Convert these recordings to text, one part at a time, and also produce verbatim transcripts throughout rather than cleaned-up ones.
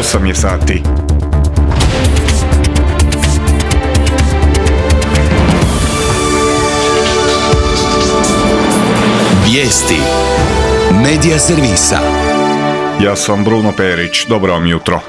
osam je sati. Vijesti Medija servisa. Ja sam Bruno Perić, dobro vam jutro.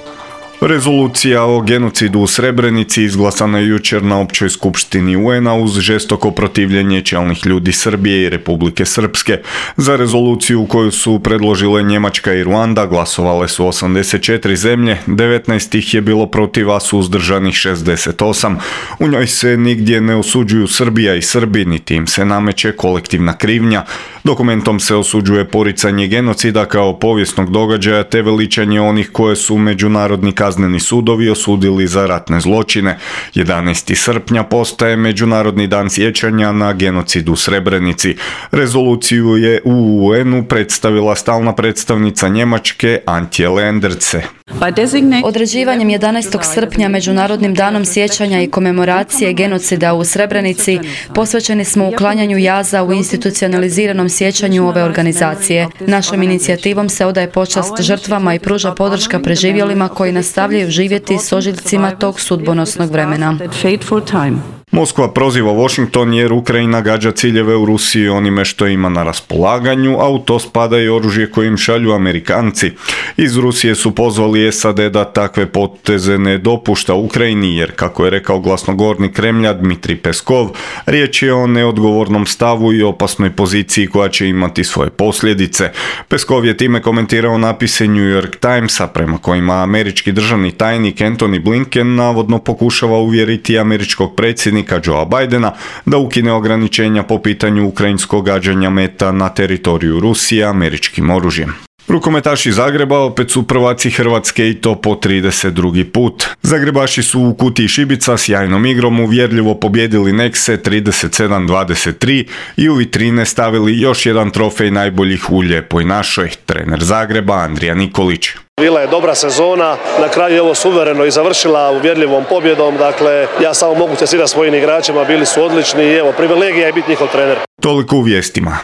Rezolucija o genocidu u Srebrenici izglasana je jučer na općoj skupštini U N-a uz žestoko protivljenje čelnih ljudi Srbije i Republike Srpske. Za rezoluciju koju su predložile Njemačka i Ruanda glasovale su osamdeset četiri zemlje, devetnaest ih je bilo protiv, a suzdržanih šezdeset osam. U njoj se nigdje ne osuđuju Srbija i Srbi, niti im se nameće kolektivna krivnja. Dokumentom se osuđuje poricanje genocida kao povijesnog događaja te veličanje onih koje su međunarodni kazneni sudovi osudili za ratne zločine. jedanaesti srpnja postaje Međunarodni dan sjećanja na genocid u Srebrenici. Rezoluciju je u U N-u predstavila stalna predstavnica Njemačke Antje Lenderce. Određivanjem jedanaestog srpnja Međunarodnim danom sjećanja i komemoracije genocida u Srebrenici posvećeni smo uklanjanju jaza u institucionaliziranom sjećanju ove organizacije. Našom inicijativom se odaje počast žrtvama i pruža podrška preživjelima koji nastavljaju živjeti s ožiljcima tog sudbonosnog vremena. Moskva proziva Washington jer Ukrajina gađa ciljeve u Rusiji onime što ima na raspolaganju, a u to spada i oružje kojim šalju Amerikanci. Iz Rusije su pozvali S A D da takve poteze ne dopušta Ukrajini jer, kako je rekao glasnogovornik Kremlja Dmitrij Peskov, riječ je o neodgovornom stavu i opasnoj poziciji koja će imati svoje posljedice. Peskov je time komentirao napise New York Timesa prema kojima američki državni tajnik Antony Blinken navodno pokušava uvjeriti američkog predsjednika Joea Bidena da ukine ograničenja po pitanju ukrajinskog gađanja meta na teritoriju Rusije američkim oružjem. Rukometaši Zagreba opet su prvaci Hrvatske i to po trideset drugi put. Zagrebaši su u Kutiji Šibica sjajnom igrom uvjerljivo pobjedili Nexe trideset sedam dvadeset tri i u vitrine stavili još jedan trofej najboljih u Lijepoj našoj. Trener Zagreba Andrija Nikolić. Bila je dobra sezona, na kraju je ovo suvereno i završila uvjerljivom pobjedom, dakle ja samo mogu čestitati svojim igračima, bili su odlični i evo privilegija je biti njihov trener. Toliko u vijestima.